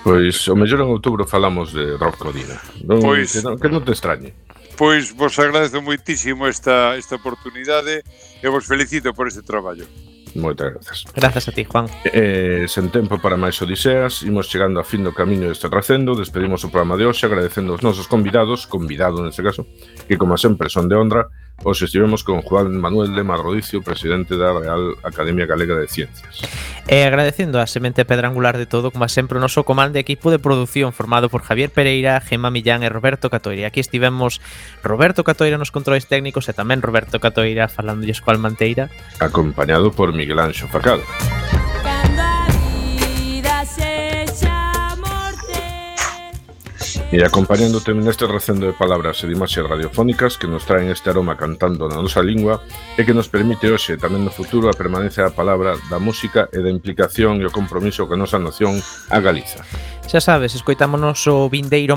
Pois o mellor en outubro falamos de Rolf Codina, non, pois, que, non, que non te extrañe. Pois vos agradezo moitísimo esta, esta oportunidade e vos felicito por este traballo. Moitas grazas. Grazas a ti, Juan. Eh, sen tempo para máis odiseas, imos chegando a fin do camiño deste tracendo, despedimos o programa de hoxe agradecendo aos nosos convidados, convidado neste caso, que como sempre son de honra, Hoxe estivemos con Juan Manuel Lema Rodicio, presidente da Real Academia Galega de Ciencias. E agradecendo a semente pedra angular de todo, como sempre, o noso comando de equipo de produción formado por Javier Pereira, Gemma Millán e Roberto Catoira. Aquí estivemos Roberto Catoira nos controles técnicos e tamén Roberto Catoira falándolles coa Almanteira, acompañado por Miguel Anxo Facal. E acompañándote neste recendo de palabras e de imaxes radiofónicas que nos traen este aroma cantando na nosa lingua e que nos permite hoxe tamén no futuro a permanencia da palabra, da música e da implicación e o compromiso que a nosa nación a Galiza. Xa sabes, escoitámonos o vindeiro